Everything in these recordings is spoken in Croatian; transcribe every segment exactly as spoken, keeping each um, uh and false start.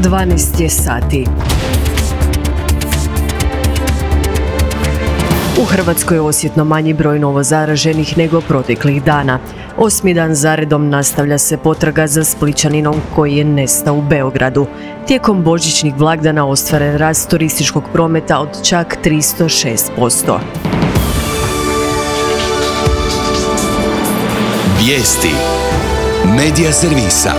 dvanaest je sati. U Hrvatskoj je osjetno manji broj novozaraženih nego proteklih dana. Osmi dan zaredom nastavlja se potraga za Splićaninom koji je nestao u Beogradu. Tijekom božićnih blagdana ostvaren rast turističkog prometa od čak tristo šest posto. Vijesti Medija servisa.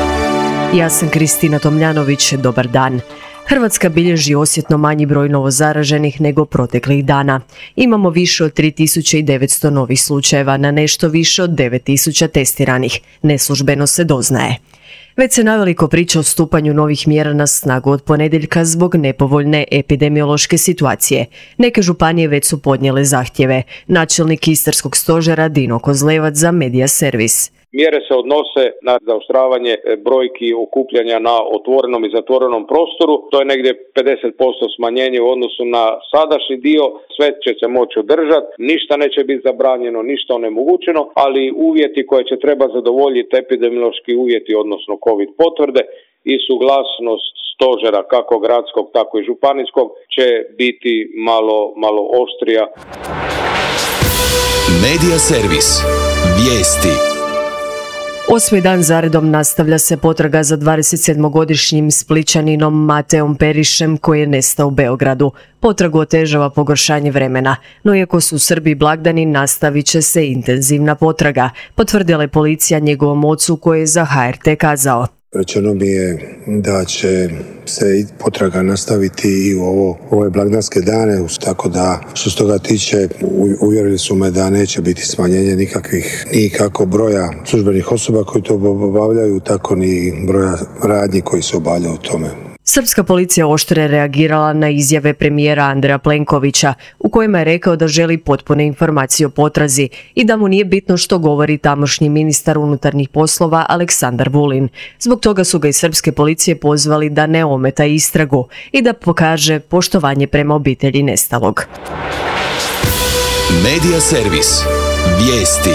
Ja sam Kristina Tomljanović, dobar dan. Hrvatska bilježi osjetno manji broj novozaraženih nego proteklih dana. Imamo više od tri tisuće devetsto novih slučajeva na nešto više od devet tisuća testiranih. Neslužbeno se doznaje. Već se naveliko priča o stupanju novih mjera na snagu od ponedjeljka zbog nepovoljne epidemiološke situacije. Neke županije već su podnijele zahtjeve. Načelnik Istarskog stožera Dino Kozlevac za Medija servis. Mjere se odnose na zaoštravanje brojki okupljanja na otvorenom i zatvorenom prostoru. To je negdje pedeset posto smanjenje u odnosu na sadašnji dio. Sve će se moći održati, ništa neće biti zabranjeno, ništa onemogućeno, ali uvjeti koje će treba zadovoljiti, epidemiološki uvjeti, odnosno COVID potvrde i suglasnost stožera kako gradskog tako i županijskog će biti malo, malo oštrija. Medija servis. Vijesti. Osmi dan zaredom nastavlja se potraga za dvadesetsedmogodišnjim Splićaninom Mateom Perišem koji je nestao u Beogradu. Potragu otežava pogoršanje vremena, no iako su u Srbiji blagdani, nastavit će se intenzivna potraga, potvrdila je policija njegovom ocu koji je za H R T kazao. Rečeno mi je da će se potraga nastaviti i u ovo, ove blagdanske dane, tako da što se toga tiče uvjerili su me da neće biti smanjenje nikakvih, nikako broja službenih osoba koji to obavljaju, tako ni broja radnji koji se obavljaju u tome. Srpska policija oštro je reagirala na izjave premijera Andreja Plenkovića u kojima je rekao da želi potpune informacije o potrazi i da mu nije bitno što govori tamošnji ministar unutarnjih poslova Aleksandar Vulin. Zbog toga su ga iz srpske policije pozvali da ne ometa istragu i da pokaže poštovanje prema obitelji nestalog. Medija servis. Vijesti.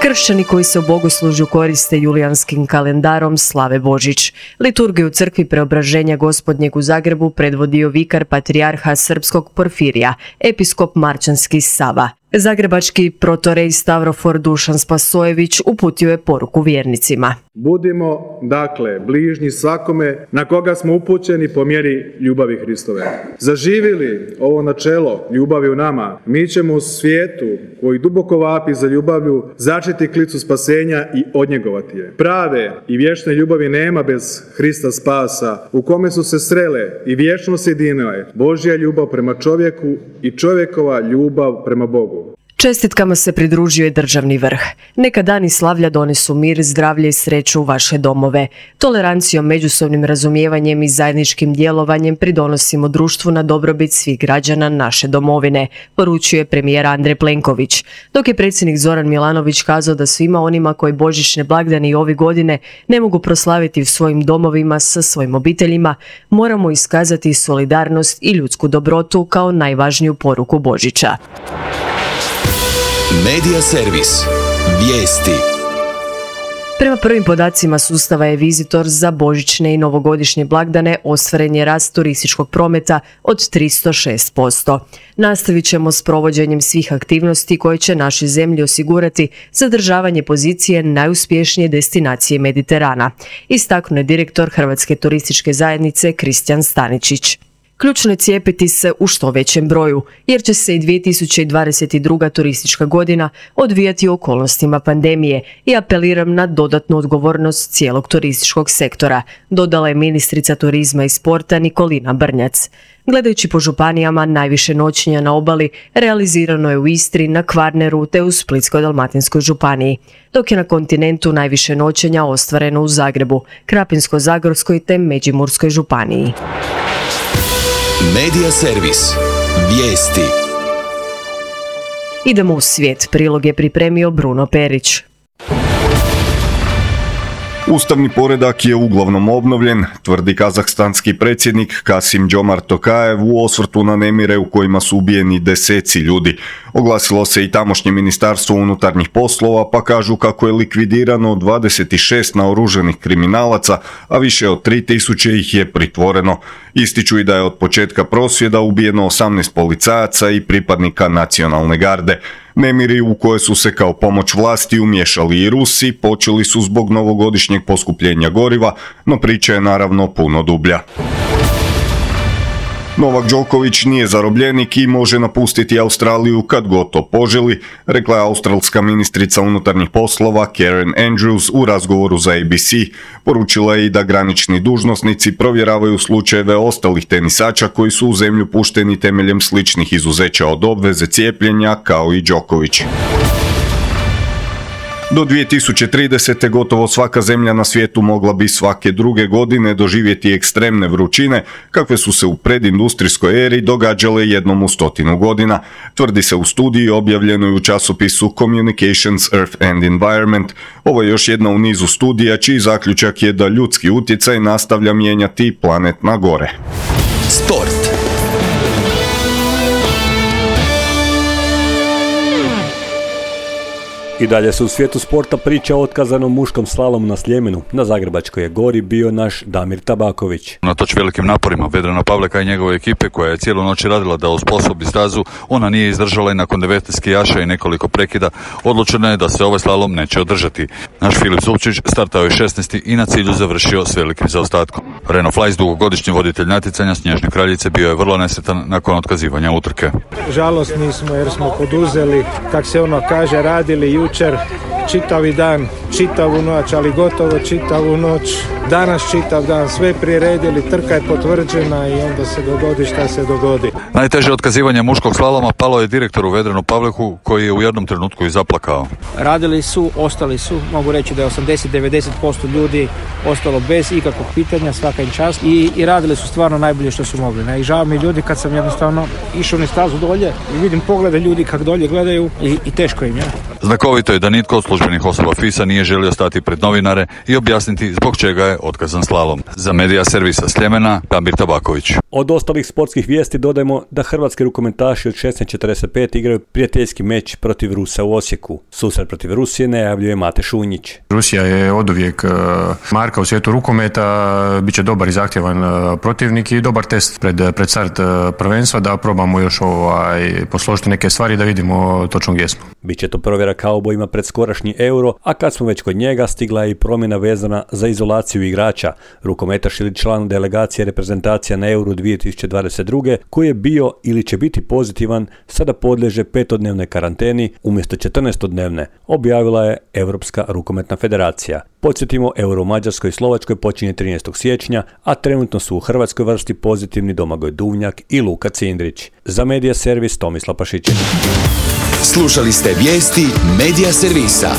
Kršćani koji se u bogoslužju koriste julijanskim kalendarom slave Božić. Liturgiju u crkvi Preobraženja Gospodnjeg u Zagrebu predvodio vikar patrijarha srpskog Porfirija, episkop Marčanski Sava. Zagrebački protorej Stavrofor Dušan Spasojević uputio je poruku vjernicima. Budimo, dakle, bližnji svakome na koga smo upućeni po mjeri ljubavi Hristove. Zaživili ovo načelo ljubavi u nama, mi ćemo u svijetu koji duboko vapi za ljubavlju začeti klicu spasenja i odnjegovati je. Prave i vječne ljubavi nema bez Hrista spasa, u kome su se srele i vječno sjedinile Božja ljubav prema čovjeku i čovjekova ljubav prema Bogu. Čestitkama se pridružio je državni vrh. Neka dani slavlja donesu mir, zdravlje i sreću u vaše domove. Tolerancijom, međusobnim razumijevanjem i zajedničkim djelovanjem pridonosimo društvu na dobrobit svih građana naše domovine, poručuje premijer Andrej Plenković. Dok je predsjednik Zoran Milanović kazao da svima onima koji božićne blagdane i ove godine ne mogu proslaviti u svojim domovima sa svojim obiteljima, moramo iskazati solidarnost i ljudsku dobrotu kao najvažniju poruku Božića. Medija servis. Vijesti. Prema prvim podacima sustava e-Visitor za božićne i novogodišnje blagdane ostvaren je rast turističkog prometa od tristo šest posto. Nastavit ćemo s provođenjem svih aktivnosti koje će našoj zemlji osigurati zadržavanje pozicije najuspješnije destinacije Mediterana, istaknuo je direktor Hrvatske turističke zajednice Kristijan Staničić. Ključno je cijepiti se u što većem broju, jer će se i dvije tisuće dvadeset druga turistička godina odvijati u okolnostima pandemije i apeliram na dodatnu odgovornost cijelog turističkog sektora, dodala je ministrica turizma i sporta Nikolina Brnjac. Gledajući po županijama, najviše noćenja na obali realizirano je u Istri, na Kvarneru te u Splitsko-dalmatinskoj županiji, dok je na kontinentu najviše noćenja ostvareno u Zagrebu, Krapinsko-zagorskoj te Međimurskoj županiji. Medija servis. Vijesti. Idemo u svijet. Prilog je pripremio Bruno Perić. Ustavni poredak je uglavnom obnovljen, tvrdi kazahstanski predsjednik Kasim-Jomart Tokajev u osvrtu na nemire u kojima su ubijeni deseci ljudi. Oglasilo se i tamošnje ministarstvo unutarnjih poslova, pa kažu kako je likvidirano dvadeset šest naoružanih kriminalaca, a više od tri tisuće ih je pritvoreno. Ističu i da je od početka prosvjeda ubijeno osamnaest policajaca i pripadnika nacionalne garde. Nemiri u koje su se kao pomoć vlasti umiješali i Rusi počeli su zbog novogodišnjeg poskupljenja goriva, no priča je naravno puno dublja. Novak Đoković nije zarobljenik i može napustiti Australiju kad god to poželi, rekla je australska ministrica unutarnjih poslova Karen Andrews u razgovoru za A B C. Poručila je i da granični dužnosnici provjeravaju slučajeve ostalih tenisača koji su u zemlju pušteni temeljem sličnih izuzeća od obveze cijepljenja kao i Đoković. Do dvije tisuće tridesete. gotovo svaka zemlja na svijetu mogla bi svake druge godine doživjeti ekstremne vrućine, kakve su se u predindustrijskoj eri događale jednom u stotinu godina, tvrdi se u studiji objavljenoj u časopisu Communications, Earth and Environment. Ovo je još jedna u nizu studija čiji zaključak je da ljudski utjecaj nastavlja mijenjati planet na gore. Sport. I dalje se u svijetu sporta priča o otkazanom muškom slalomu na Sljemenu. Na Zagrebačkoj je gori bio naš Damir Tabaković. Unatoč velikim naporima Vedrana Pavleka i njegove ekipe koja je cijelu noć radila da osposobi stazu, ona nije izdržala i nakon devetnaest skijaša i nekoliko prekida odlučeno je da se ovaj slalom neće održati. Naš Filip Zupčić startao je šesnaesti i na cilju završio s velikim zaostatkom. Reno Flajs, dugogodišnji voditelj natjecanja Snježne kraljice, bio je vrlo nesretan nakon otkazivanja utrke. Žalosni smo jer smo poduzeli, kak se ono kaže, radili jučer čitavi dan, čitavu noć, ali gotovo čitavu noć, danas čitav dan, sve priredili, trka je potvrđena i onda se dogodi šta se dogodi. Najteže otkazivanje muškog slaloma palo je direktoru Vedranu Pavleku koji je u jednom trenutku i zaplakao. Radili su, ostali su, mogu reći da je osamdeset do devedeset posto ljudi ostalo bez ikakvog pitanja, svaka im čast i, i radili su stvarno najbolje što su mogli. Ne? I žao mi ljudi kad sam jednostavno išao na stazu dolje i vidim poglede ljudi kako dolje gledaju i, i teško im je. Znakovito je da nitko od službenih osoba F I S-a nije želio stati pred novinare i objasniti zbog čega je otkazan slalom. Za Medija servisa Sljemena, Damir Tabaković. Od ostalih sportskih vijesti dodajemo da hrvatski rukometaši od šesnaest četrdeset pet igraju prijateljski meč protiv Rusa u Osijeku. Susret protiv Rusije najavljuje Mate Šunjić. Rusija je oduvijek marka u svijetu rukometa, bit će dobar i zahtjevan protivnik i dobar test pred, pred start prvenstva da probamo još ovaj, posložiti neke stvari da vidimo točno gdje smo. Biće to provjera kaubojima pred skorašnji Euro, a kad smo već kod njega stigla je i promjena vezana za izolaciju igrača. Rukometaš ili član delegacije reprezentacija na Euro dvije tisuće dvadeset druge koji je bio ili će biti pozitivan sada podliježe petodnevnoj karanteni umjesto četrnaestodnevne, objavila je Europska rukometna federacija. Podsjetimo, Euro u Mađarskoj i Slovačkoj počinje trinaestog siječnja, a trenutno su u hrvatskoj vrsti pozitivni Domagoj Duvnjak i Luka Cindrić. Za Medija servis Tomislav Pašićević. Slušali ste vijesti Medija servisa.